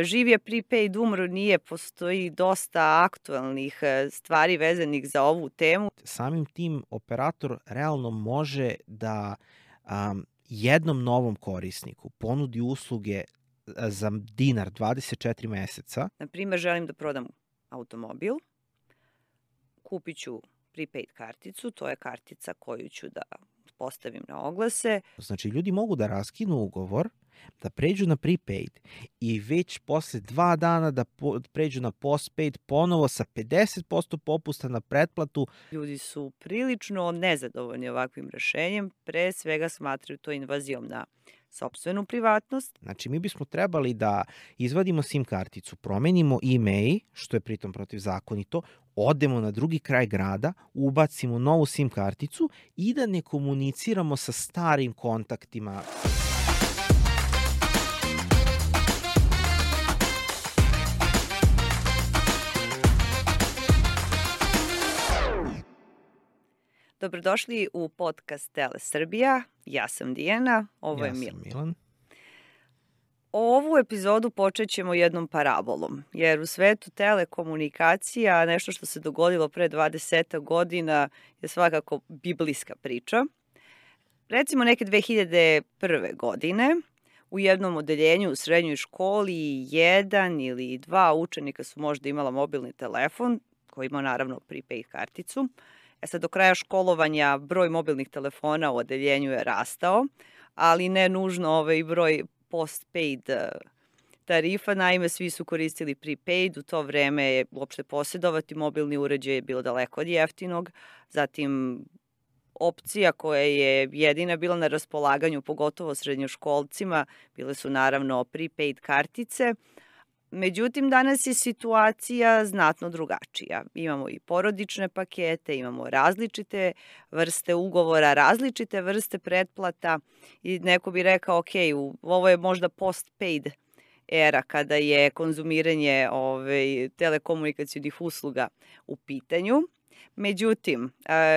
Živ je prepaid, umro nije, postoji dosta aktuelnih stvari vezanih za ovu temu. Samim tim operator realno može da jednom novom korisniku ponudi usluge za dinar 24 meseca. Na primer, želim da prodam automobil, kupit ću prepaid karticu, to je kartica koju ću da postavim na oglase. Znači, ljudi mogu da raskinu ugovor, da pređu na prepaid i već posle 2 dana da pređu na postpaid ponovo sa 50% popusta na pretplatu. Ljudi su prilično nezadovoljni ovakvim rešenjem, pre svega smatraju to invazijom na sopstvenu privatnost. Znači, mi bismo trebali da izvadimo SIM karticu, promenimo e-mail, što je pritom protivzakonito, odemo na drugi kraj grada, ubacimo novu SIM karticu i da ne komuniciramo sa starim kontaktima. Dobrodošli u podcast Tele Srbija. Ja sam Dijana, ovo je Milan. Ja sam Milan. Ovu epizodu počet ćemo jednom parabolom, jer u svetu telekomunikacija, nešto što se dogodilo pre 20 godina, je svakako biblijska priča. Recimo neke 2001. godine, u jednom odeljenju u srednjoj školi 1 ili 2 učenika su možda imala mobilni telefon, koji ima naravno prepaid karticu. Sad do kraja školovanja broj mobilnih telefona u odeljenju je rastao, ali ne nužno broj postpaid tarifa, naime svi su koristili prepaid, u to vreme je uopšte posjedovati mobilni uređaj je bilo daleko od jeftinog, zatim opcija koja je jedina bila na raspolaganju, pogotovo srednjoškolcima, bile su naravno prepaid kartice. Međutim, danas je situacija znatno drugačija. Imamo i porodične pakete, imamo različite vrste ugovora, različite vrste pretplata i neko bi rekao, ok, ovo je možda postpaid era kada je konzumiranje telekomunikacijnih usluga u pitanju. Međutim,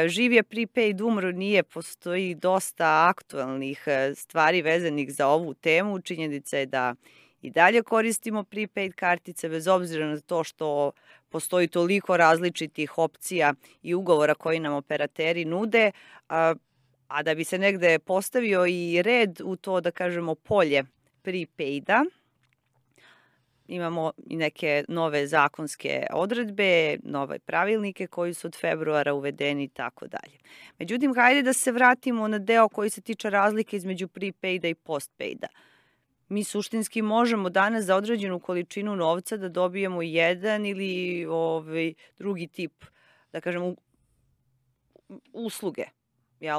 živ je prepaid, umro nije, postoji dosta aktuelnih stvari vezanih za ovu temu. Činjenica je da i dalje koristimo prepaid kartice, bez obzira na to što postoji toliko različitih opcija i ugovora koji nam operateri nude, a da bi se negde postavio i red u to, da kažemo, polje prepaida, imamo i neke nove zakonske odredbe, nove pravilnike koji su od februara uvedeni i tako dalje. Međutim, hajde da se vratimo na deo koji se tiče razlike između prepaida i postpaida. Mi suštinski možemo danas za određenu količinu novca da dobijemo jedan ili drugi tip, da kažemo, usluge.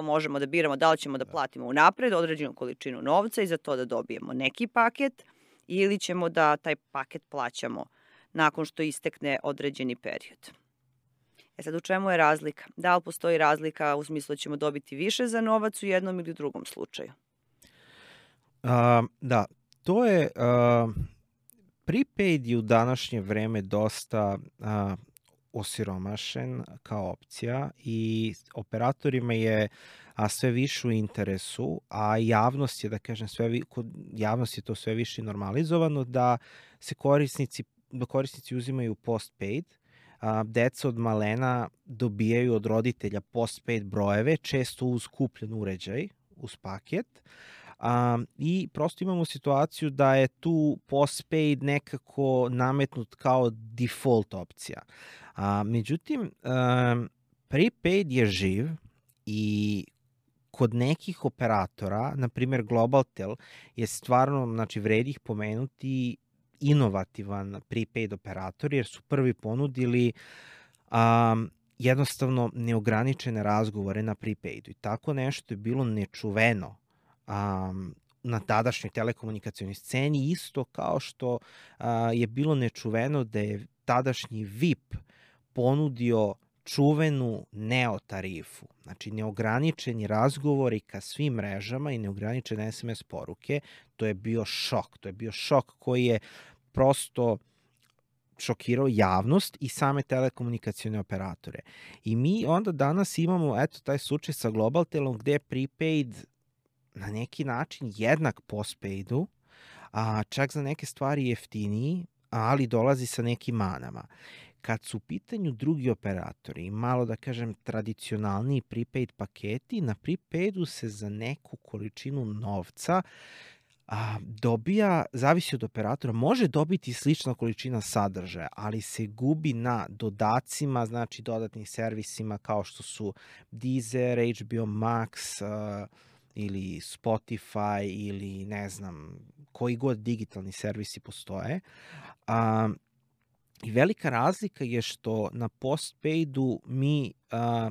Možemo da biramo da li ćemo da platimo unapred određenu količinu novca i za to da dobijemo neki paket ili ćemo da taj paket plaćamo nakon što istekne određeni period. Sad, u čemu je razlika? Da li postoji razlika u smislu da ćemo dobiti više za novac u jednom ili drugom slučaju? Da, to je, prepaid je u današnje vreme dosta osiromašen kao opcija i operatorima je sve više u interesu, a javnost je, da kažem, kod javnosti je to sve više normalizovano, da se korisnici uzimaju postpaid. Deca od malena dobijaju od roditelja postpaid brojeve, često uz kupljen uređaj, uz paket. I prosto imamo situaciju da je tu postpaid nekako nametnut kao default opcija. Međutim, prepaid je živ i kod nekih operatora, na primjer Globaltel, je stvarno, znači vredi ih pomenuti, inovativan prepaid operator, jer su prvi ponudili jednostavno neograničene razgovore na prepaidu. I tako nešto je bilo nečuveno na tadašnjoj telekomunikacijnoj sceni, isto kao što je bilo nečuveno da je tadašnji VIP ponudio čuvenu Neo tarifu, znači neograničeni razgovori ka svim mrežama i neograničene SMS poruke. To je bio šok koji je prosto šokirao javnost i same telekomunikacijone operatore. I mi onda danas imamo taj slučaj sa Globaltelom gde je prepaid na neki način jednak postpaidu, a čak za neke stvari jeftiniji, ali dolazi sa nekim manama. Kad su u pitanju drugi operatori, malo da kažem tradicionalniji prepaid paketi, na prepaidu se za neku količinu novca dobija, zavisi od operatora, može dobiti slična količina sadržaja, ali se gubi na dodacima, znači dodatnim servisima kao što su Deezer, HBO Max ili Spotify ili ne znam, koji god digitalni servisi postoje. I velika razlika je što na postpaidu mi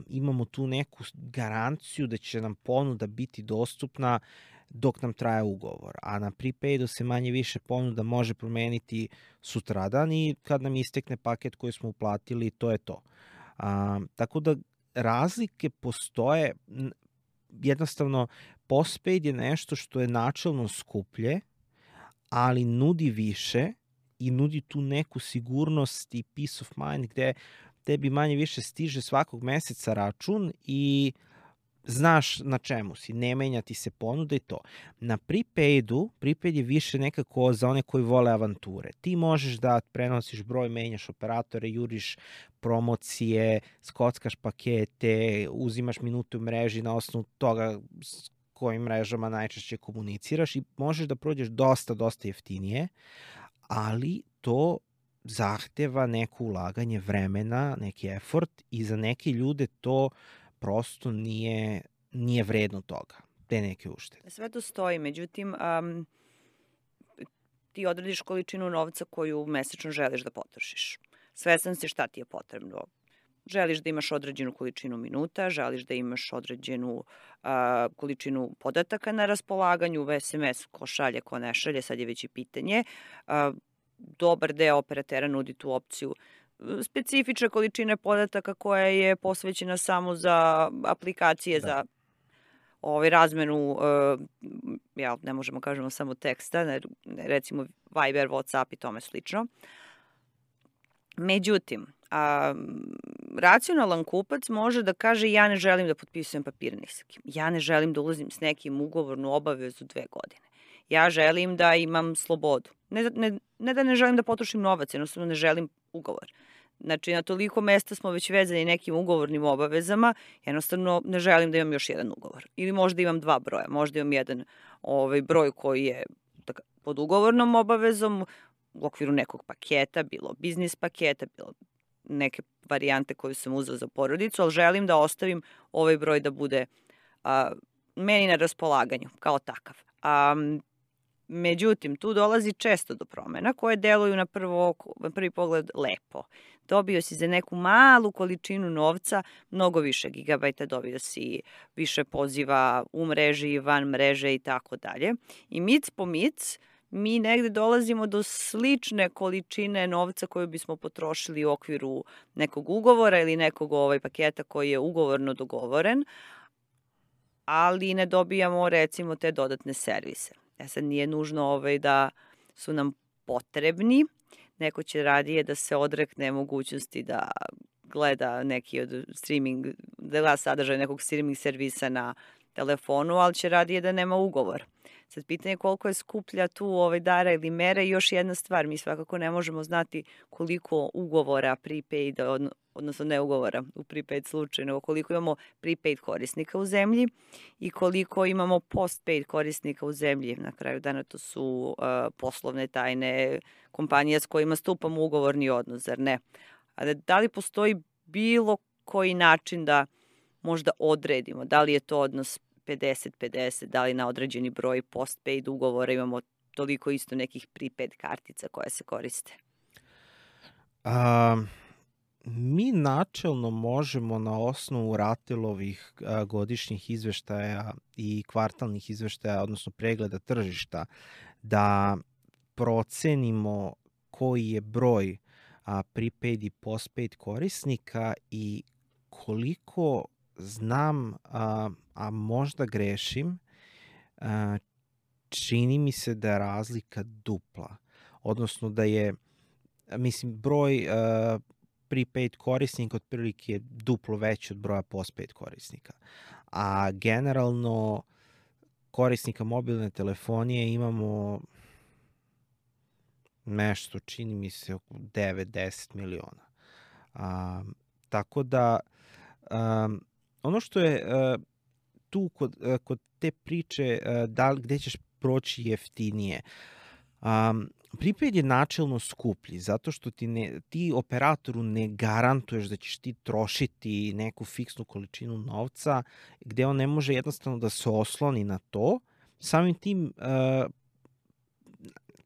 imamo tu neku garanciju da će nam ponuda biti dostupna dok nam traje ugovor, a na prepaidu se manje više ponuda može promeniti sutradan i kad nam istekne paket koji smo uplatili, to je to. Tako da razlike postoje, jednostavno postpaid je nešto što je načelno skuplje, ali nudi više i nudi tu neku sigurnost i peace of mind gde tebi manje više stiže svakog meseca račun i znaš na čemu si, ne menja ti se ponuda i to. Na prepaidu, prepaid je više nekako za one koji vole avanture. Ti možeš da prenosiš broj, menjaš operatore, juriš promocije, skockaš pakete, uzimaš minute u mreži na osnovu toga s kojim mrežama najčešće komuniciraš i možeš da prođeš dosta jeftinije, ali to zahteva neko ulaganje vremena, neki effort i za neke ljude to prosto nije vredno toga, te neke uštede. Sve to stoji, međutim, ti odrediš količinu novca koju mesečno želiš da potrošiš. Svestan si šta ti je potrebno. Želiš da imaš određenu količinu minuta, želiš da imaš određenu količinu podataka na raspolaganju, SMS, ko šalje, ko ne šalje, sad je već i pitanje. Dobar deo operatera nudi tu opciju specifične količine podataka koja je posvećena samo za aplikacije, za razmenu, ne možemo kažemo samo teksta, recimo Viber, WhatsApp i tome slično. Međutim, racionalan kupac može da kaže ja ne želim da potpisujem papir ni sa kim, ja ne želim da ulazim s nekim ugovornu obavezu 2 godine. Ja želim da imam slobodu. Ne da ne želim da potrošim novac, jednostavno ne želim ugovor. Znači, na toliko mesta smo već vezani nekim ugovornim obavezama, jednostavno ne želim da imam još jedan ugovor. Ili možda imam 2 broja, možda imam jedan broj koji je pod ugovornom obavezom u okviru nekog paketa, bilo biznis paketa, bilo neke varijante koju sam uzela za porodicu, ali želim da ostavim ovaj broj da bude meni na raspolaganju kao takav. Međutim, tu dolazi često do promena koje deluju na prvi pogled lepo. Dobio si za neku malu količinu novca mnogo više gigabajta, dobio si više poziva u mreži, van mreže i tako dalje. I mic po mic mi negde dolazimo do slične količine novca koju bismo potrošili u okviru nekog ugovora ili nekog paketa koji je ugovorno dogovoren, ali ne dobijamo recimo te dodatne servise. Sad nije nužno da su nam potrebni, neko će radije da se odrekne mogućnosti da gleda neki od da gleda sadržaj nekog streaming servisa na telefonu, ali će radije da nema ugovor. Sad pitanje je koliko je skuplja tu dara ili mere i još jedna stvar, mi svakako ne možemo znati koliko ugovora prepaid, odnosno ne ugovora u prepaid slučaju, nego koliko imamo prepaid korisnika u zemlji i koliko imamo postpaid korisnika u zemlji. Na kraju dana to su poslovne tajne, kompanije s kojima stupamo u ugovorni odnos, zar ne? A da li postoji bilo koji način da možda odredimo, da li je to odnos 50-50, da li na određeni broj postpaid ugovora imamo toliko isto nekih prepaid kartica koje se koriste? Mi načelno možemo na osnovu RATEL-ovih godišnjih izveštaja i kvartalnih izveštaja, odnosno pregleda tržišta, da procenimo koji je broj prepaid i postpaid korisnika i koliko znam, a možda grešim, čini mi se da je razlika dupla. Odnosno da je, broj prepaid korisnika otprilike je duplo veći od broja postpaid korisnika. A generalno korisnika mobilne telefonije imamo nešto, čini mi se, oko 9-10 miliona. Tako da, ono što je tu kod te priče, gde ćeš proći jeftinije, prepaid je načelno skuplji, zato što ti operatoru ne garantuješ da ćeš ti trošiti neku fiksnu količinu novca, gde on ne može jednostavno da se osloni na to, samim tim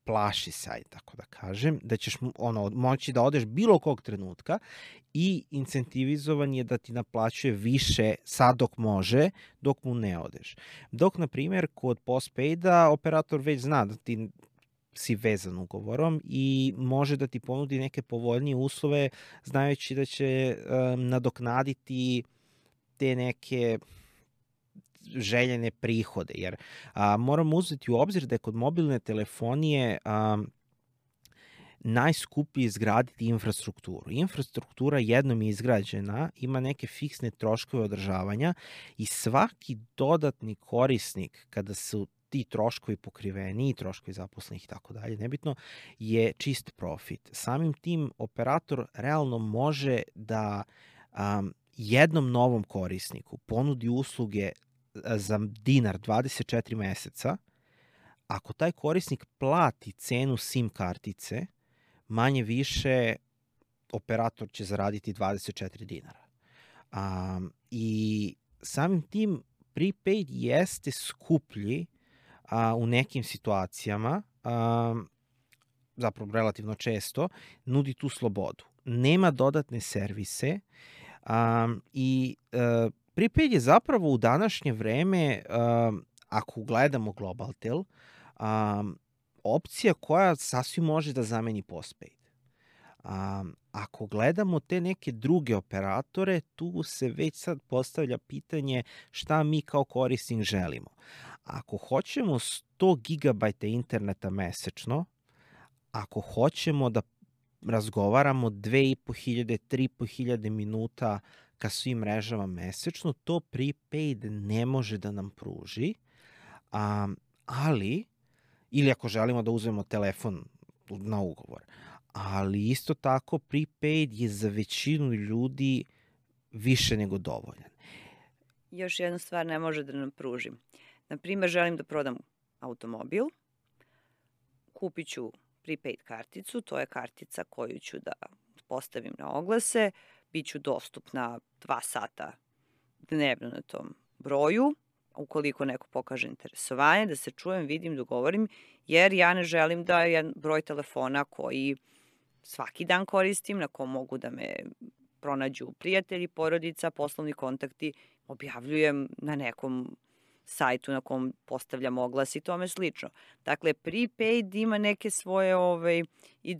plaši se, ajde tako da kažem, da ćeš moći da odeš bilo kog trenutka i incentivizovan je da ti naplaćuje više sad dok može, dok mu ne odeš. Dok, na primjer, kod postpaida operator već zna da ti si vezan ugovorom i može da ti ponudi neke povoljnije uslove, znajući da će nadoknaditi te neke željene prihode, jer moramo uzeti u obzir da je kod mobilne telefonije najskuplje izgraditi infrastrukturu. Infrastruktura jednom je izgrađena, ima neke fiksne troškove održavanja i svaki dodatni korisnik, kada su ti troškovi pokriveni i troškovi zaposlenih i tako dalje, nebitno, je čist profit. Samim tim operator realno može da jednom novom korisniku ponudi usluge za dinar 24 meseca, ako taj korisnik plati cenu SIM kartice, manje više operator će zaraditi 24 dinara. I samim tim prepaid jeste skuplji u nekim situacijama, zapravo relativno često, nudi tu slobodu. Nema dodatne servise i prepaid je zapravo u današnje vreme, ako gledamo Globaltel, opcija koja sasvim može da zameni postpaid. Ako gledamo te neke druge operatore, tu se već sad postavlja pitanje šta mi kao korisnik želimo. Ako hoćemo 100 GB interneta mesečno, ako hoćemo da razgovaramo 2500-3500 minuta ka svim mrežama mesečno, to prepaid ne može da nam pruži, ali, ili ako želimo da uzmemo telefon na ugovor, ali isto tako prepaid je za većinu ljudi više nego dovoljan. Još jednu stvar ne može da nam pruži. Naprimer, želim da prodam automobil, kupit ću prepaid karticu, to je kartica koju ću da postavim na oglase, bit ću dostupna 2 sata dnevno na tom broju, ukoliko neko pokaže interesovanje, da se čujem, vidim, dogovorim, jer ja ne želim da je broj telefona koji svaki dan koristim, na kom mogu da me pronađu prijatelji, porodica, poslovni kontakti, objavljujem na nekom sajtu na kom postavljam oglas i tome slično. Dakle, prepaid ima neke svoje i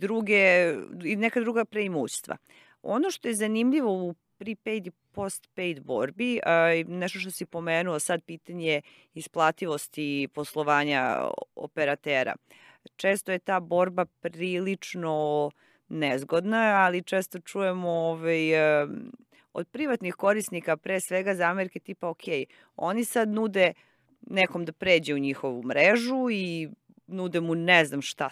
neka druga preimućstva. Ono što je zanimljivo u prepaid i postpaid borbi, nešto što si pomenuo sad, pitanje isplativosti poslovanja operatera. Često je ta borba prilično nezgodna, ali često čujemo od privatnih korisnika pre svega zamerke tipa oni sad nude nekom da pređe u njihovu mrežu i nude mu ne znam šta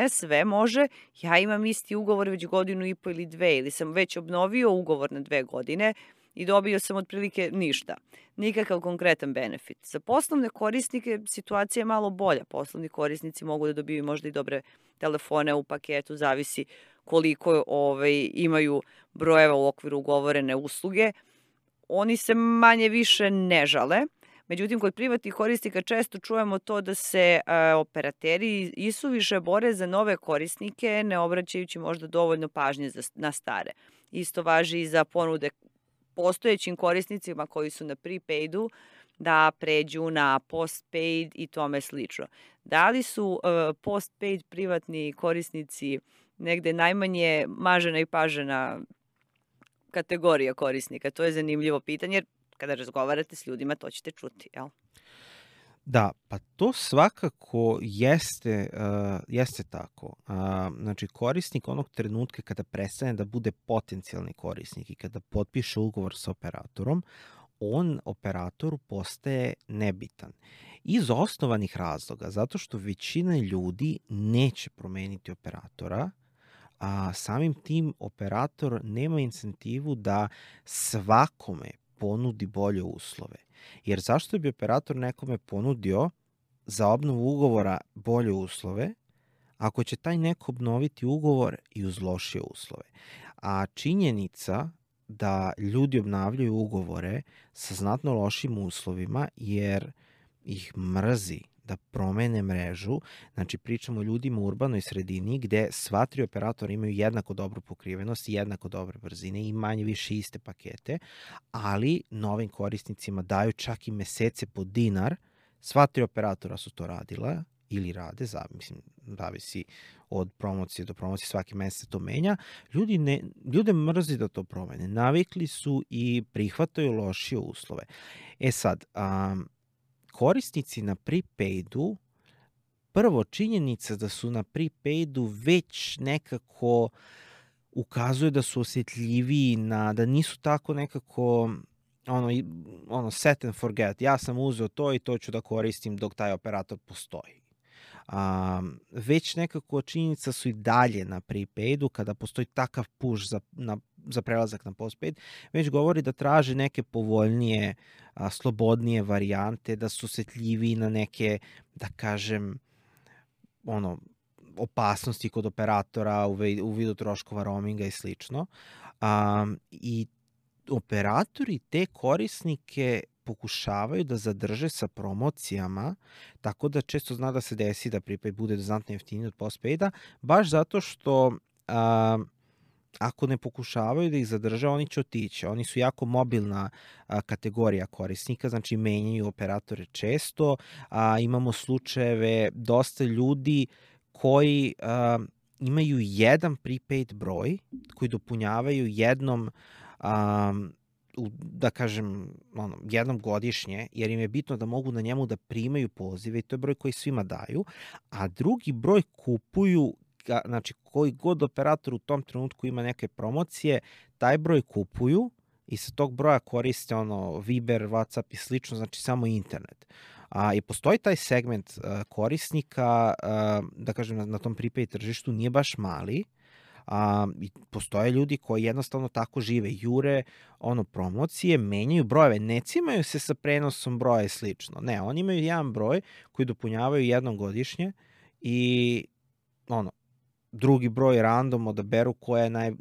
sve može. Ja imam isti ugovor već 1,5 godinu ili 2, ili sam već obnovio ugovor na 2 godine i dobio sam otprilike ništa. Nikakav konkretan benefit. Za poslovne korisnike situacija je malo bolja. Poslovni korisnici mogu da dobiju možda i dobre telefone u paketu, zavisi koliko imaju brojeva u okviru ugovorene usluge. Oni se manje više ne žale. Međutim, kod privatnih korisnika često čujemo to da se operateri isuviše bore za nove korisnike, ne obraćajući možda dovoljno pažnje na stare. Isto važi i za ponude postojećim korisnicima koji su na prepaidu da pređu na postpaid i tome slično. Da li su postpaid privatni korisnici negde najmanje mažena i pažena kategorija korisnika? To je zanimljivo pitanje, jer kada razgovarate s ljudima to ćete čuti, jel? Da, pa to svakako jeste tako. Znači, korisnik onog trenutka kada prestane da bude potencijalni korisnik i kada potpiše ugovor sa operatorom, on operatoru postaje nebitan. iz osnovanih razloga, zato što većina ljudi neće promeniti operatora, a samim tim operator nema incentivu da svakome ponudi bolje uslove. Jer zašto bi operator nekome ponudio za obnovu ugovora bolje uslove, ako će taj neko obnoviti ugovor i uz lošije uslove? A činjenica da ljudi obnavljaju ugovore sa znatno lošim uslovima jer ih mrzi da promene mrežu, znači pričamo o ljudima u urbanoj sredini gde sva 3 operatora imaju jednako dobru pokrivenost i jednako dobre brzine i manje više iste pakete, ali novim korisnicima daju čak i mesece po dinar. Sva 3 operatora su to radila ili rade, zavisi od promocije do promocije, svaki mesec se to menja. Ljude mrzi da to promene. Navikli su i prihvataju lošije uslove. Sad, korisnici na prepaidu, prvo činjenica da su na prepaidu već nekako ukazuje da su osjetljiviji da nisu tako nekako set and forget. Ja sam uzeo to i to ću da koristim dok taj operator postoji. Već nekako činjenica su i dalje na prepaidu, kada postoji takav push za prelazak na postpaid, već govori da traže neke povoljnije, slobodnije varijante, da su osjetljiviji na neke, da kažem, opasnosti kod operatora u vidu troškova roaminga i slično. I operatori te korisnike pokušavaju da zadrže sa promocijama, tako da često zna da se desi da prepaid bude znatno jeftiniji od postpaida, baš zato što ako ne pokušavaju da ih zadrže, oni će otići. Oni su jako mobilna kategorija korisnika, znači menjaju operatore često. Imamo slučajeve dosta ljudi koji imaju jedan prepaid broj koji dopunjavaju jednom da kažem, jednom godišnje, jer im je bitno da mogu na njemu da primaju pozive i to je broj koji svima daju, a drugi broj kupuju, znači koji god operator u tom trenutku ima neke promocije, taj broj kupuju i sa tog broja koriste Viber, WhatsApp i slično, znači samo internet. I postoji taj segment korisnika, da kažem, na tom prepaid tržištu nije baš mali, i postoje ljudi koji jednostavno tako žive, jure promocije, menjaju brojeve, ne cimaju se sa prenosom broja i slično, ne, oni imaju jedan broj koji dopunjavaju jednom godišnje i drugi broj random odaberu koja je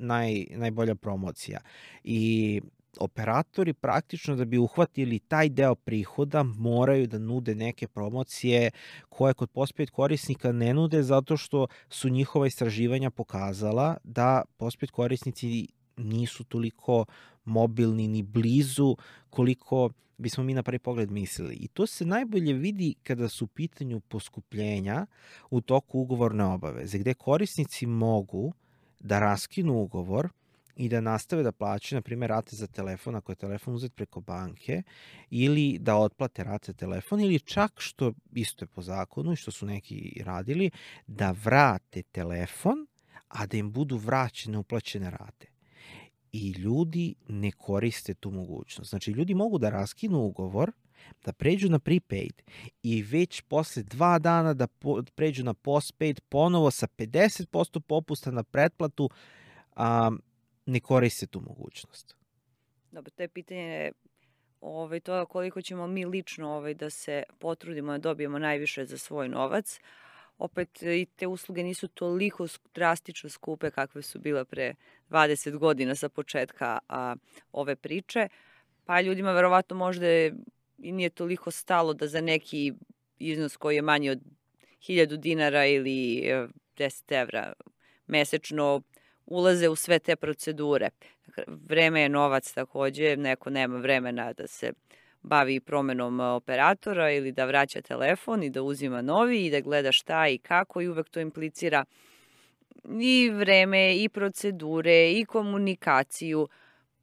najbolja promocija. I operatori praktično da bi uhvatili taj deo prihoda moraju da nude neke promocije koje kod postpaid korisnika ne nude zato što su njihova istraživanja pokazala da postpaid korisnici nisu toliko mobilni ni blizu koliko bismo mi na prvi pogled mislili. I to se najbolje vidi kada su u pitanju poskupljenja u toku ugovorne obaveze, gde korisnici mogu da raskinu ugovor i da nastave da plaćaju, na primjer, rate za telefon, ako je telefon uzet preko banke, ili da otplate rate za telefon, ili čak, što isto je po zakonu i što su neki radili, da vrate telefon, a da im budu vraćene uplaćene rate. I ljudi ne koriste tu mogućnost. Znači, ljudi mogu da raskinu ugovor, da pređu na prepaid i već posle 2 dana da pređu na postpaid ponovo sa 50% popusta na pretplatu, ne koriste tu mogućnost. Dobro, to je pitanje to koliko ćemo mi lično da se potrudimo da dobijemo najviše za svoj novac. Opet i te usluge nisu toliko drastično skupe kakve su bile pre 20 godina sa početka ove priče, pa ljudima verovatno možda i nije toliko stalo da za neki iznos koji je manji od 1000 dinara ili 10 evra mesečno ulaze u sve te procedure. Vreme je novac takođe, neko nema vremena da se bavi promenom operatora ili da vraća telefon i da uzima novi i da gleda šta i kako i uvek to implicira i vreme i procedure i komunikaciju,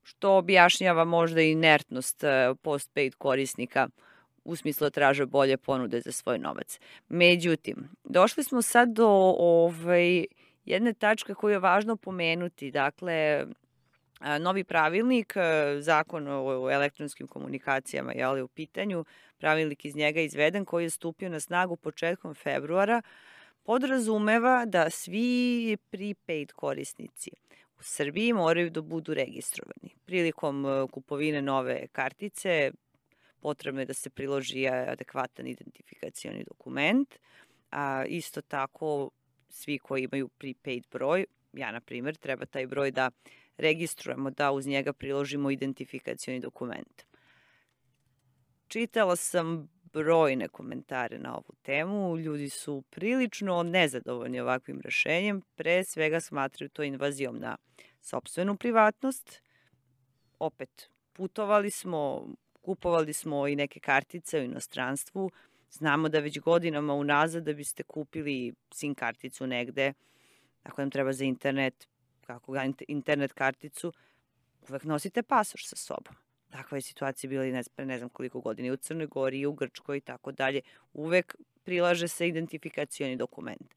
što objašnjava možda inertnost postpaid korisnika u smislu da traže bolje ponude za svoj novac. Međutim, došli smo sad do jedne tačke koju je važno pomenuti. Dakle, Novi pravilnik, zakon o elektronskim komunikacijama je u pitanju, pravilnik iz njega izveden koji je stupio na snagu početkom februara, podrazumeva da svi prepaid korisnici u Srbiji moraju da budu registrovani. Prilikom kupovine nove kartice potrebno je da se priloži adekvatan identifikacioni dokument, a isto tako svi koji imaju prepaid broj, ja na primjer, treba taj broj da registrujemo, da uz njega priložimo identifikacioni dokument. Čitala sam brojne komentare na ovu temu, ljudi su prilično nezadovoljni ovakvim rešenjem, pre svega smatraju to invazijom na sopstvenu privatnost. Opet, putovali smo, kupovali smo i neke kartice u inostranstvu, znamo da već godinama unazad da biste kupili SIM karticu negde, ako nam treba za internet, kako ga internet karticu, uvek nosite pasoš sa sobom. Takva je situacija bila i ne znam koliko godina u Crnoj Gori, i u Grčkoj i tako dalje. Uvek prilaže se identifikacioni dokument.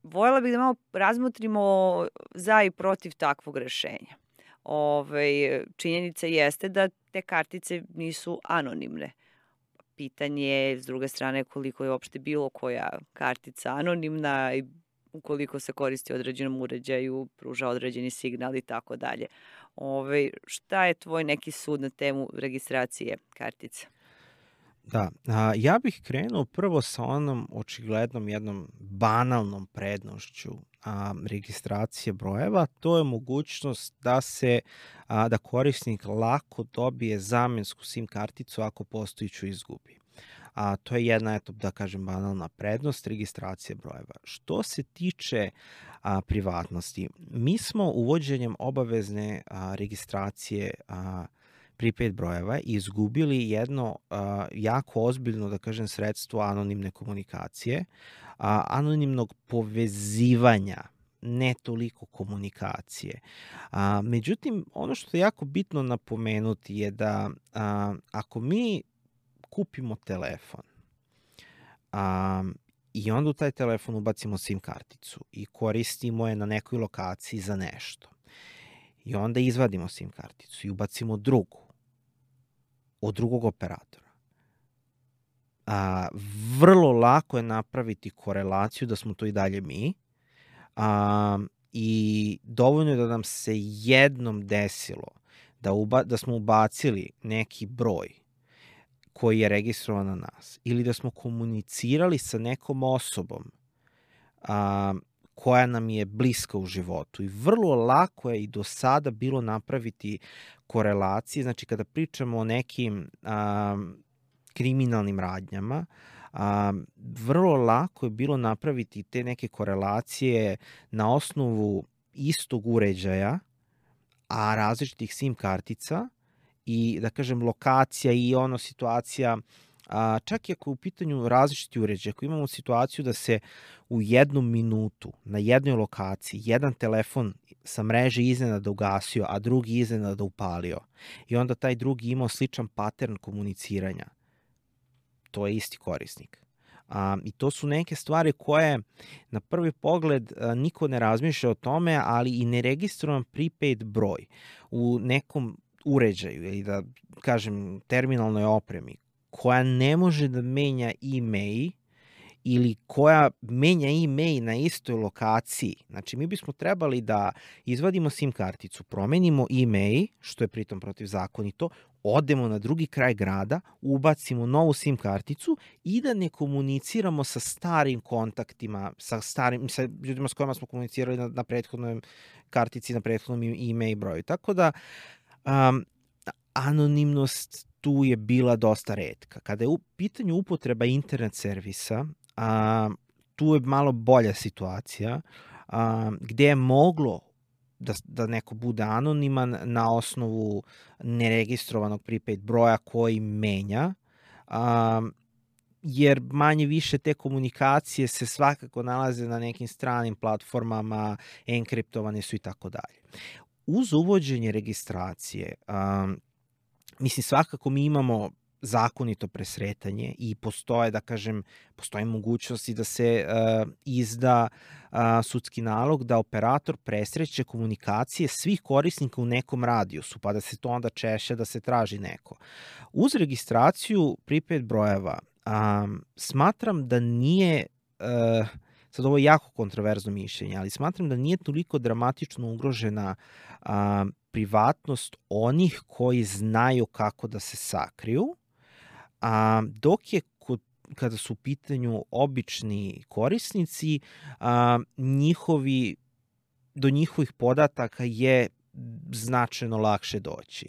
Voljela bih da malo razmotrimo za i protiv takvog rešenja. Činjenica jeste da te kartice nisu anonimne. Pitanje je, s druge strane, koliko je uopšte bilo koja kartica anonimna i ukoliko se koristi određenom uređaju, pruža određeni signal i tako dalje. Šta je tvoj neki sud na temu registracije kartica? Da, ja bih krenuo prvo sa onom očiglednom jednom banalnom prednošću registracije brojeva, to je mogućnost da korisnik lako dobije zamensku SIM karticu ako postojiću izgubi. To je jedna, da kažem, banalna prednost registracije brojeva. Što se tiče privatnosti, mi smo uvođenjem obavezne registracije prepaid brojeva izgubili jedno jako ozbiljno, da kažem, sredstvo anonimne komunikacije, anonimnog povezivanja, ne toliko komunikacije. Međutim, ono što je jako bitno napomenuti je da ako mi kupimo telefon i onda u taj telefon ubacimo SIM karticu i koristimo je na nekoj lokaciji za nešto i onda izvadimo SIM karticu i ubacimo drugu od drugog operatora, vrlo lako je napraviti korelaciju da smo to i dalje mi i dovoljno je da nam se jednom desilo da smo ubacili neki broj koji je registrovan na nas ili da smo komunicirali sa nekom osobom koja nam je bliska u životu i vrlo lako je i do sada bilo napraviti korelacije, znači kada pričamo o nekim kriminalnim radnjama, vrlo lako je bilo napraviti te neke korelacije na osnovu istog uređaja, a različitih SIM kartica i, da kažem, lokacija i situacija, čak i ako je u pitanju različiti uređaj, ako imamo situaciju da se u jednom minutu na jednoj lokaciji jedan telefon sa mreže iznenada ugasio, a drugi iznenada upalio i onda taj drugi imao sličan patern komuniciranja, to je isti korisnik. I to su neke stvari koje na prvi pogled niko ne razmišlja o tome, ali i neregistrovan prepaid broj u nekom uređaju ili, da kažem, terminalnoj opremi koja ne može da menja e-mail ili koja menja e-mail na istoj lokaciji. Znači, mi bismo trebali da izvadimo SIM karticu, promenimo e-mail, što je pritom protivzakonito, odemo na drugi kraj grada, ubacimo novu SIM karticu i da ne komuniciramo sa starim kontaktima, sa ljudima s kojima smo komunicirali na prethodnoj kartici, na prethodnom e-mail broju. Tako da, anonimnost tu je bila dosta retka. Kada je u pitanju upotreba internet servisa, tu je malo bolja situacija, gde je moglo da neko bude anoniman na osnovu neregistrovanog prepaid broja koji menja, jer manje više te komunikacije se svakako nalaze na nekim stranim platformama, enkriptovane su i tako dalje. Uz uvođenje registracije, mislim, svakako mi imamo zakonito presretanje i postoje, da kažem, postoje mogućnosti da se izda sudski nalog da operator presreće komunikacije svih korisnika u nekom radijusu, pa da se to onda češe da se traži neko. Uz registraciju prepaid brojeva smatram da nije, sad ovo je jako kontroverzno mišljenje, ali smatram da nije toliko dramatično ugrožena privatnost onih koji znaju kako da se sakriju, dok je kada su u pitanju obični korisnici, do njihovih podataka je značajno lakše doći.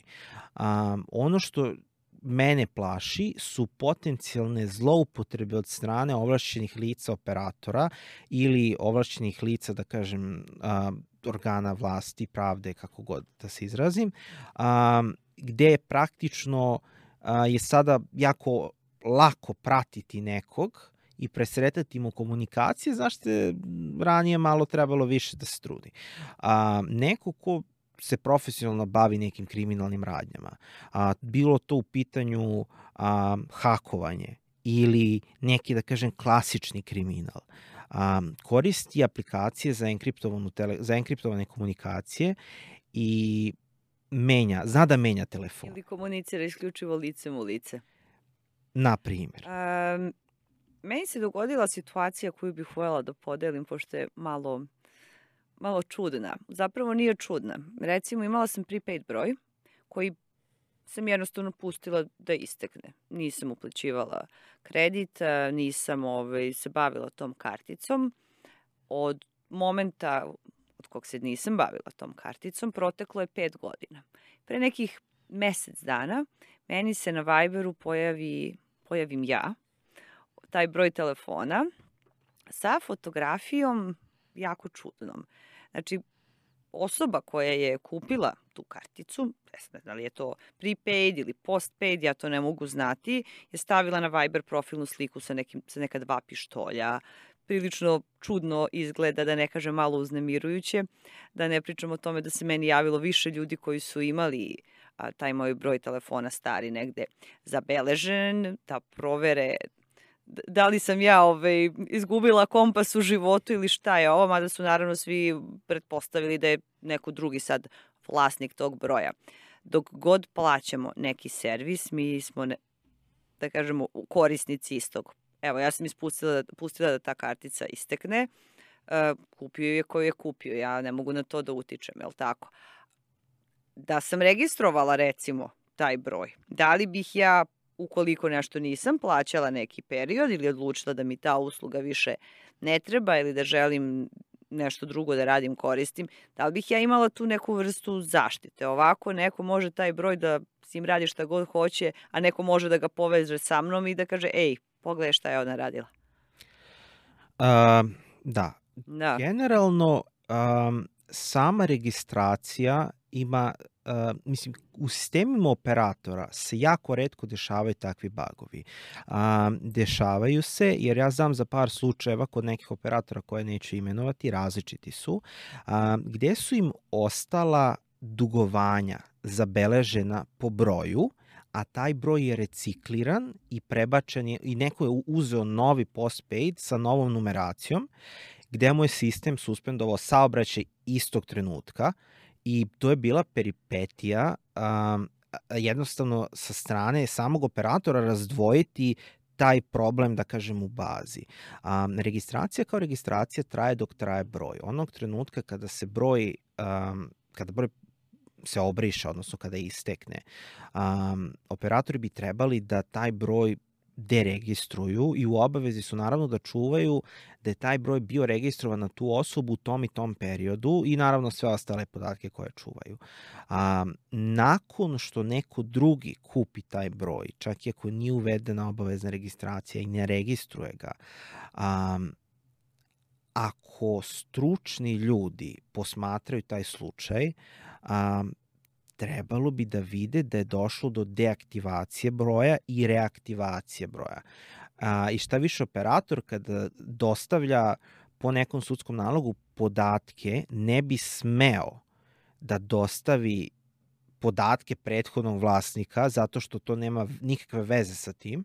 Ono što mene plaši su potencijalne zloupotrebe od strane ovlašćenih lica operatora ili ovlašćenih lica, da kažem, organa vlasti, pravde, kako god da se izrazim, gde praktično je sada jako lako pratiti nekog i presretati mu komunikacije, zašto je ranije malo trebalo više da se trudi. Neko ko se profesionalno bavi nekim kriminalnim radnjama, bilo to u pitanju hakovanje ili neki, da kažem, klasični kriminal, koristi aplikacije za enkriptovane komunikacije i zna da menja telefon. Ili komunicira isključivo licem u lice. Na primjer. Meni se dogodila situacija koju bih voljela da podelim, pošto je malo čudna. Zapravo nije čudna. Recimo, imala sam prepaid broj koji sam jednostavno pustila da istekne. Nisam uplaćivala kredit, nisam se bavila tom karticom. Od momenta od kog se nisam bavila tom karticom, proteklo je 5 godina. Pre nekih mesec dana meni se na Viberu pojavim ja, taj broj telefona, sa fotografijom jako čudnom. Znači, osoba koja je kupila tu karticu, ne znam da li je to prepaid ili postpaid, ja to ne mogu znati, je stavila na Viber profilnu sliku sa neka 2 pištolja, prilično čudno izgleda, da ne kažem malo uznemirujuće, da ne pričam o tome da se meni javilo više ljudi koji su imali taj moj broj telefona stari negde zabeležen, da provere da li sam ja izgubila kompas u životu ili šta je ovo, mada su naravno svi pretpostavili da je neko drugi sad vlasnik tog broja. Dok god plaćamo neki servis, mi smo, da kažemo, korisnici istog. Evo, ja sam pustila da ta kartica istekne, kupio je koju je kupio, ja ne mogu na to da utičem, je li tako? Da sam registrovala, recimo, taj broj, da li bih ja, ukoliko nešto nisam plaćala neki period ili odlučila da mi ta usluga više ne treba ili da želim nešto drugo da radim, koristim, da li bih ja imala tu neku vrstu zaštite? Ovako neko može taj broj da s njim radi šta god hoće, a neko može da ga poveže sa mnom i da kaže, ej, pogledaj šta je ona radila. Da. Generalno, sama registracija ima, mislim, u sistemima operatora se jako retko dešavaju takvi bagovi. Dešavaju se, jer ja znam za par slučajeva kod nekih operatora koje neću imenovati, različiti su, gde su im ostala dugovanja zabeležena po broju, a taj broj je recikliran i prebačen je, i neko je uzeo novi postpaid sa novom numeracijom, gde mu je sistem suspendovao saobraćaj istog trenutka i to je bila peripetija jednostavno sa strane samog operatora razdvojiti taj problem, da kažem, u bazi. Registracija kao registracija traje dok traje broj. Onog trenutka kada se broj se obriše, odnosno kada istekne, operatori bi trebali da taj broj deregistruju i u obavezi su naravno da čuvaju da je taj broj bio registrovan na tu osobu u tom i tom periodu i naravno sve ostale podatke koje čuvaju. Nakon što neko drugi kupi taj broj, čak i ako nije uvedena obavezna registracija i ne registruje ga, ako stručni ljudi posmatraju taj slučaj, trebalo bi da vide da je došlo do deaktivacije broja i reaktivacije broja. I šta više, operator kada dostavlja po nekom sudskom nalogu podatke, ne bi smeo da dostavi podatke prethodnog vlasnika, zato što to nema nikakve veze sa tim.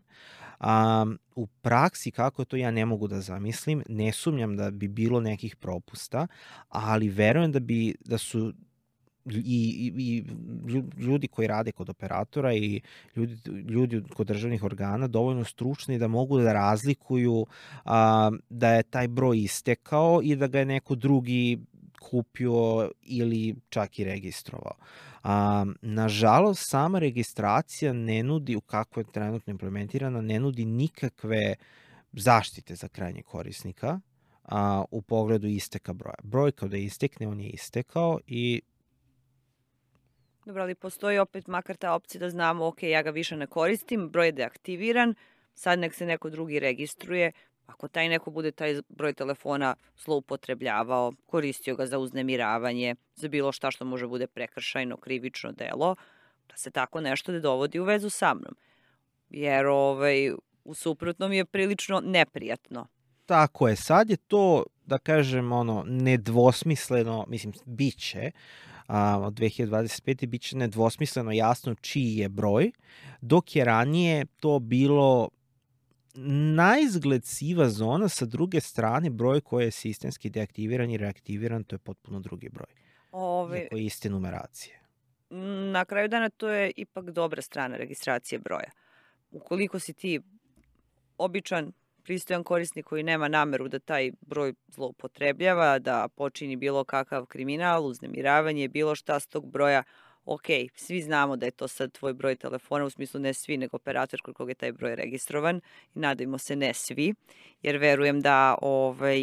U praksi, kako to ja ne mogu da zamislim, ne sumnjam da bi bilo nekih propusta, ali verujem da su i ljudi koji rade kod operatora i ljudi kod državnih organa dovoljno stručni da mogu da razlikuju da je taj broj istekao i da ga je neko drugi kupio ili čak i registrovao. Nažalost, sama registracija ne nudi, kako je trenutno implementirana, ne nudi nikakve zaštite za krajnjeg korisnika u pogledu isteka broja. Broj kada istekne, on je istekao i dobro, ali postoji opet makar ta opcija da znamo, ok, ja ga više ne koristim, broj je deaktiviran, sad nek se neko drugi registruje. Ako taj neko bude taj broj telefona zloupotrebljavao, koristio ga za uznemiravanje, za bilo šta što može bude prekršajno, krivično delo, da se tako nešto ne dovodi u vezu sa mnom. Jer u suprotnom je prilično neprijatno. Tako je, sad je to, da kažem, nedvosmisleno, mislim, biće, od 2025. biće nedvosmisleno jasno čiji je broj, dok je ranije to bilo naizgled siva zona, sa druge strane broj koji je sistemski deaktiviran i reaktiviran, to je potpuno drugi broj. Iako je iste numeracije. Na kraju dana to je ipak dobra strana registracije broja. Ukoliko si ti običan, pristojan korisnik koji nema nameru da taj broj zloupotrebljava, da počini bilo kakav kriminal, uznemiravanje, bilo šta s tog broja, ok, svi znamo da je to sad tvoj broj telefona, u smislu ne svi, nego operator kod koga je taj broj registrovan i nadajmo se ne svi, jer verujem da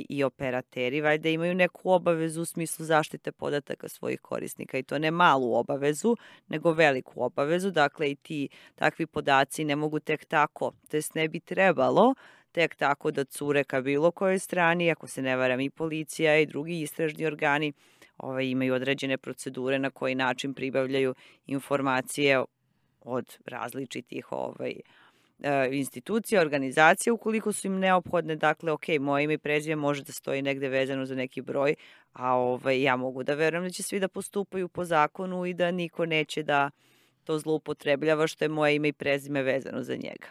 i operateri valjda imaju neku obavezu u smislu zaštite podataka svojih korisnika i to ne malu obavezu, nego veliku obavezu, dakle i ti takvi podaci ne mogu tek tako, to jest ne bi trebalo tek tako da cure ka bilo kojoj strani, ako se ne varam i policija i drugi istražni organi, imaju određene procedure na koji način pribavljaju informacije od različitih institucija, organizacija, ukoliko su im neophodne. Dakle, ok, moje ime i prezime može da stoji negde vezano za neki broj, a ja mogu da verujem da će svi da postupaju po zakonu i da niko neće da to zloupotrebljava što je moje ime i prezime vezano za njega.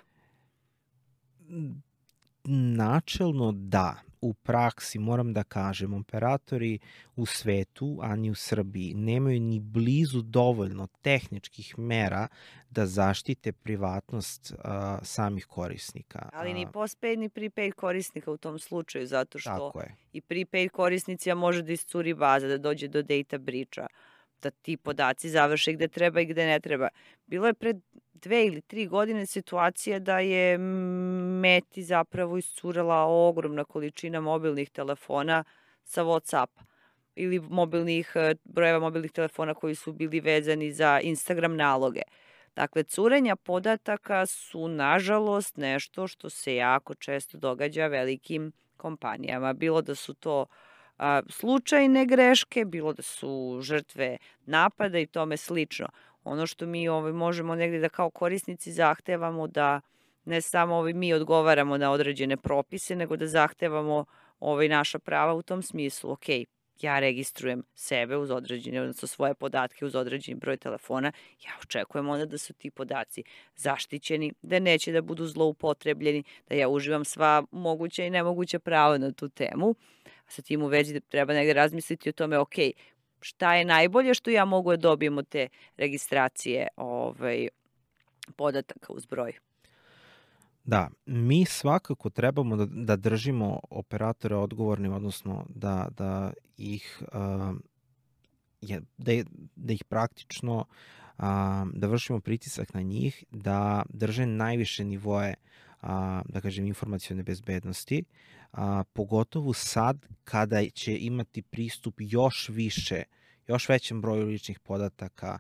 Načelno da. U praksi, moram da kažem, operatori u svetu, a ni u Srbiji, nemaju ni blizu dovoljno tehničkih mera da zaštite privatnost samih korisnika. Ali ni postpaid ni prepaid korisnika u tom slučaju, zato što i prepaid korisnicima može da iscuri baza, da dođe do data breacha, da ti podaci završe gde treba i gde ne treba. Bilo je pred 2 ili 3 godine situacija da je Meti zapravo iscurala ogromna količina mobilnih telefona sa WhatsAppa ili brojeva mobilnih telefona koji su bili vezani za Instagram naloge. Dakle, curenja podataka su, nažalost, nešto što se jako često događa velikim kompanijama. Bilo da su to slučajne greške, bilo da su žrtve napada i tome slično. Ono što mi možemo negde da kao korisnici zahtevamo da ne samo mi odgovaramo na određene propise, nego da zahtevamo naša prava u tom smislu. Ok, ja registrujem sebe uz određene, odnosno svoje podatke uz određeni broj telefona, ja očekujem onda da su ti podaci zaštićeni, da neće da budu zloupotrebljeni, da ja uživam sva moguća i nemoguća prava na tu temu. A sa tim u vezi treba negde razmisliti o tome, ok, šta je najbolje što ja mogu da dobijem od te registracije podataka uz broj. Da, mi svakako trebamo da držimo operatore odgovornim, odnosno da ih praktično, da vršimo pritisak na njih, da drže najviše nivoe, da kažem, informacione bezbednosti, pogotovo sad kada će imati pristup još većem broju ličnih podataka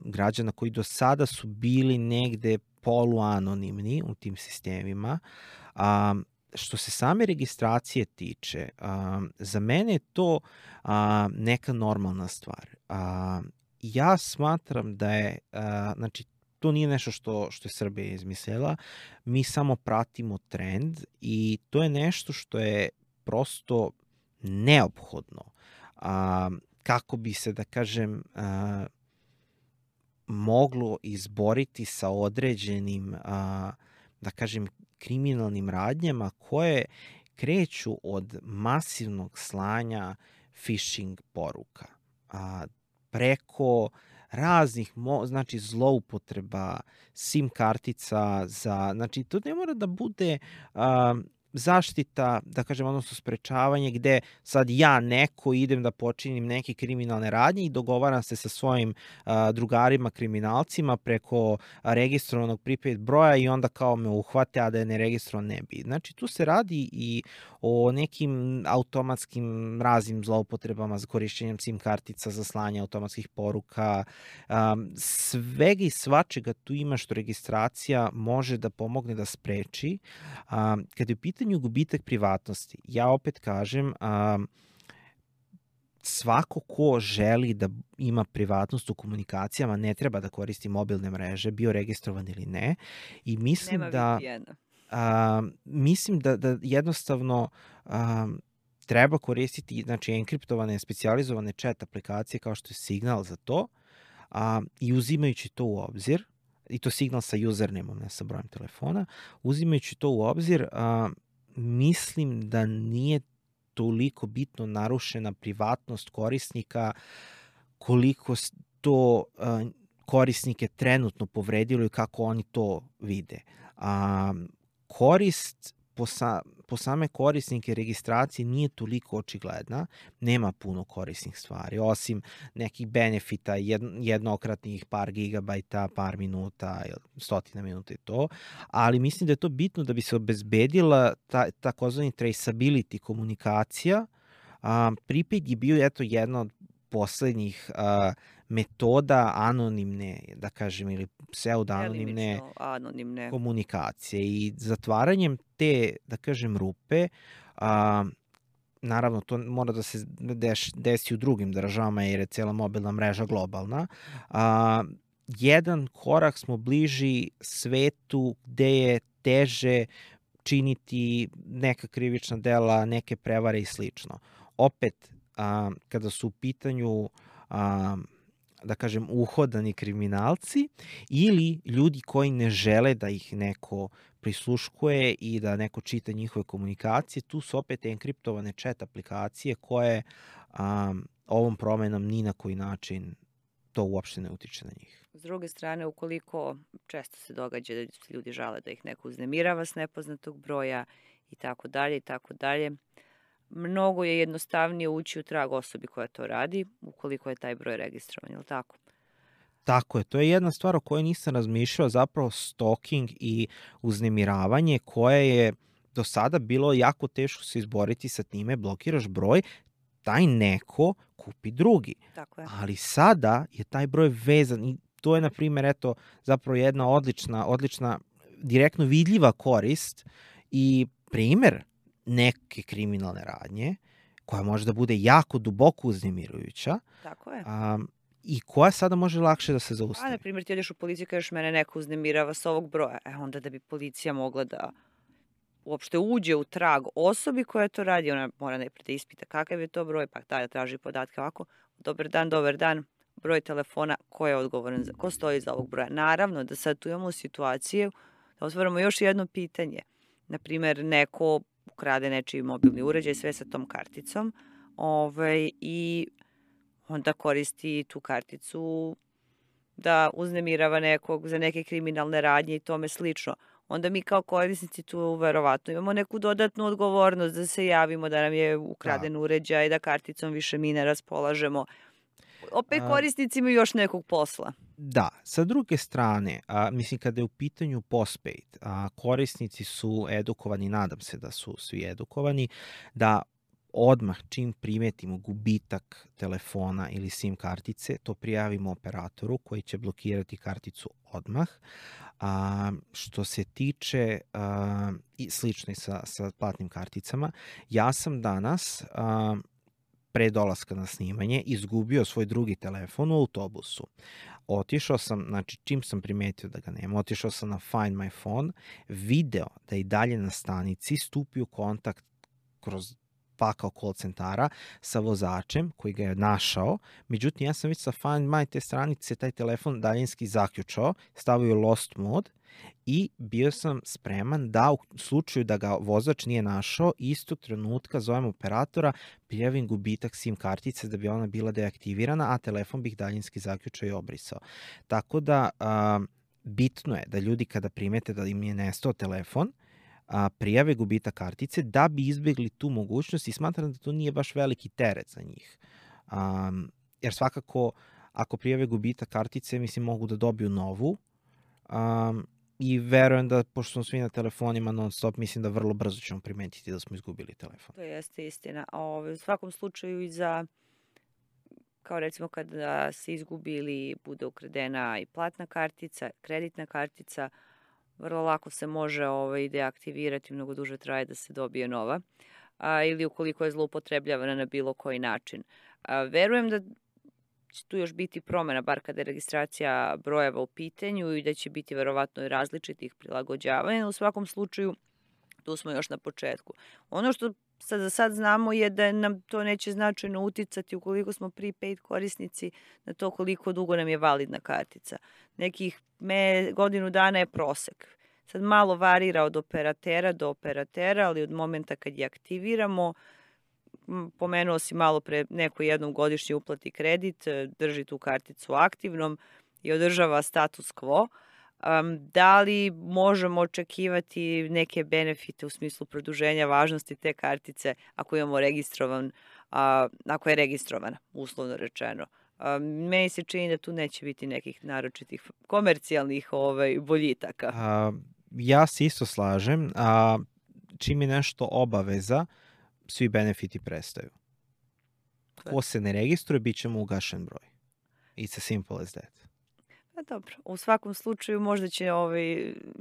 građana koji do sada su bili negde poluanonimni u tim sistemima. Što se same registracije tiče, za mene je to neka normalna stvar. Ja smatram da je, znači, to nije nešto što je Srbija izmislila, mi samo pratimo trend i to je nešto što je prosto neophodno kako bi se, da kažem, moglo izboriti sa određenim, da kažem, kriminalnim radnjama koje kreću od masivnog slanja phishing poruka, preko raznih znači zloupotreba SIM kartica znači to ne mora da bude zaštita, da kažem, odnosno sprečavanje gde sad ja idem da počinim neke kriminalne radnje i dogovaram se sa svojim drugarima kriminalcima preko registrovanog prepaid broja i onda kao me uhvate, a da je neregistrovan ne bi. Znači tu se radi i o nekim automatskim raznim zloupotrebama za korišćenjem SIM kartica za slanje automatskih poruka. Svega i svačega tu ima što registracija može da pomogne da spreči. Kada je u pitanju gubitak privatnosti, ja opet kažem, svako ko želi da ima privatnost u komunikacijama ne treba da koristi mobilne mreže, bio registrovan ili ne. I mislim mislim da jednostavno treba koristiti znači enkriptovane, specijalizovane chat aplikacije kao što je Signal za to, i uzimajući to u obzir, i to Signal sa username-om, ne sa brojem telefona, uzimajući to u obzir, mislim da nije toliko bitno narušena privatnost korisnika koliko to korisnike trenutno povredilo i kako oni to vide. Korist po same korisnike registracije nije toliko očigledna, nema puno korisnih stvari, osim nekih benefita, jednokratnih par gigabajta, par minuta, stotina minuta i to, ali mislim da je to bitno da bi se obezbedila takozvani traceability komunikacija. Prepaid je bio jedna od poslednjih metoda anonimne, da kažem, ili pseudo-anonimne komunikacije i zatvaranjem te, da kažem, rupe, naravno to mora da se desi u drugim državama jer je cijela mobilna mreža globalna, jedan korak smo bliži svetu gde je teže činiti neka krivična dela, neke prevare i slično. Opet, kada su u pitanju da kažem uhodani kriminalci ili ljudi koji ne žele da ih neko prisluškuje i da neko čita njihove komunikacije, tu su opet enkriptovane chat aplikacije koje ovom promenom ni na koji način to uopšte ne utiče na njih. S druge strane, ukoliko često se događa da ljudi žale da ih neko uznemirava s nepoznatog broja i tako dalje, mnogo je jednostavnije ući u trag osobi koja to radi, ukoliko je taj broj registrovan, je li tako? Tako je, to je jedna stvar o kojoj nisam razmišljao, zapravo stalking i uznemiravanje koje je do sada bilo jako teško se izboriti sa time, blokiraš broj, taj neko kupi drugi. Tako je. Ali sada je taj broj vezan i to je, na primjer, eto, zapravo jedna odlična, direktno vidljiva korist i primer neke kriminalne radnje koja može da bude jako duboko uznemirujuća. Tako je. I koja sada može lakše da se zaustavi. Na primjer, ti odeš u policiju i kažeš mene neko uznemirava s ovog broja. Onda da bi policija mogla da uopšte uđe u trag osobi koja to radi, ona mora najprije da ispita kakav je to broj, pa da traži podatke ovako. Dobar dan, broj telefona, ko je odgovoran, ko stoji za ovog broja. Naravno da sad tu imamo situaciju da otvorimo još jedno pitanje. Naprimjer, neko ukrade nečiji mobilni uređaj, sve sa tom karticom, i onda koristi tu karticu da uznemirava nekog za neke kriminalne radnje i tome slično. Onda mi kao korisnici tu verovatno imamo neku dodatnu odgovornost da se javimo da nam je ukraden uređaj, da karticom više mi ne raspolažemo. Opet korisnici imaju još nekog posla. Da, sa druge strane, mislim kada je u pitanju postpaid, korisnici su edukovani, nadam se da su svi edukovani, da odmah čim primetimo gubitak telefona ili SIM kartice, to prijavimo operatoru koji će blokirati karticu odmah. Što se tiče, i slično i sa platnim karticama, ja sam danas pre dolaska na snimanje izgubio svoj drugi telefon u autobusu. Otišao sam, znači čim sam primetio da ga nema, otišao sam na Find My Phone, video da i dalje na stanici, stupio kontakt kroz pakao call centara sa vozačem koji ga je našao. Međutim, ja sam već sa Find My te stranice taj telefon daljinski zaključao, stavio lost mode i bio sam spreman da u slučaju da ga vozač nije našao, istog trenutka zovem operatora, prijavim gubitak SIM kartice da bi ona bila deaktivirana, a telefon bih daljinski zaključao i obrisao. Tako da bitno je da ljudi kada primete da im je nestao telefon, prijave gubitak kartice da bi izbjegli tu mogućnost i smatram da to nije baš veliki teret za njih. Jer svakako, ako prijave gubitak kartice, mislim, mogu da dobiju novu. I verujem da, pošto smo svi na telefonima non stop, mislim da vrlo brzo ćemo primetiti da smo izgubili telefon. To jeste istina. U svakom slučaju i za, kao recimo kada se izgubi ili bude ukradena i platna kartica, kreditna kartica, vrlo lako se može deaktivirati, mnogo duže traje da se dobije nova, ili ukoliko je zloupotrebljavana na bilo koji način. Verujem da će tu još biti promena, bar kada je registracija brojeva u pitanju i da će biti verovatno i različitih prilagođavanja. U svakom slučaju, tu smo još na početku. Ono što za sad znamo je da nam to neće značajno uticati ukoliko smo prepaid korisnici na to koliko dugo nam je validna kartica. Nekih godinu dana je prosek. Sad malo varira od operatera do operatera, ali od momenta kad je aktiviramo, pomenuo si malo pre, neko jednom godišnje uplati kredit, drži tu karticu aktivnom i održava status quo. Da li možemo očekivati neke benefite u smislu produženja važnosti te kartice ako imamo ako je registrovana, uslovno rečeno? Meni se čini da tu neće biti nekih naročitih komercijalnih boljitaka. Ja se isto slažem. Čim je nešto obaveza, svi benefiti prestaju. Ko se ne registruje, bit će mu ugašen broj. It's as simple as that. Pa dobro, u svakom slučaju možda će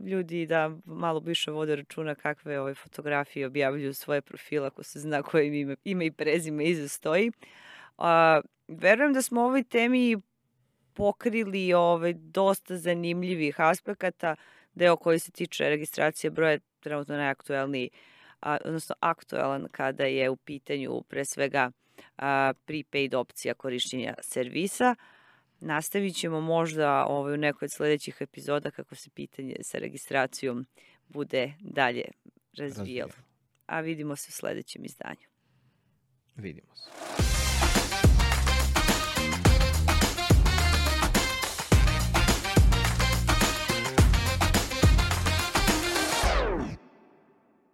ljudi da malo više vode računa kakve fotografije objavljuju svoje profile, ako se zna koje ime i prezime iza stoji. Verujem da smo u ovoj temi pokrili dosta zanimljivih aspekata. Deo koji se tiče registracije broja je trenutno najaktuelniji, odnosno aktualan kada je u pitanju pre svega prepaid opcija korišćenja servisa. Nastavit ćemo možda u nekoj od sledećih epizoda kako se pitanje sa registracijom bude dalje razvijalo. A vidimo se u sledećem izdanju. Vidimo se.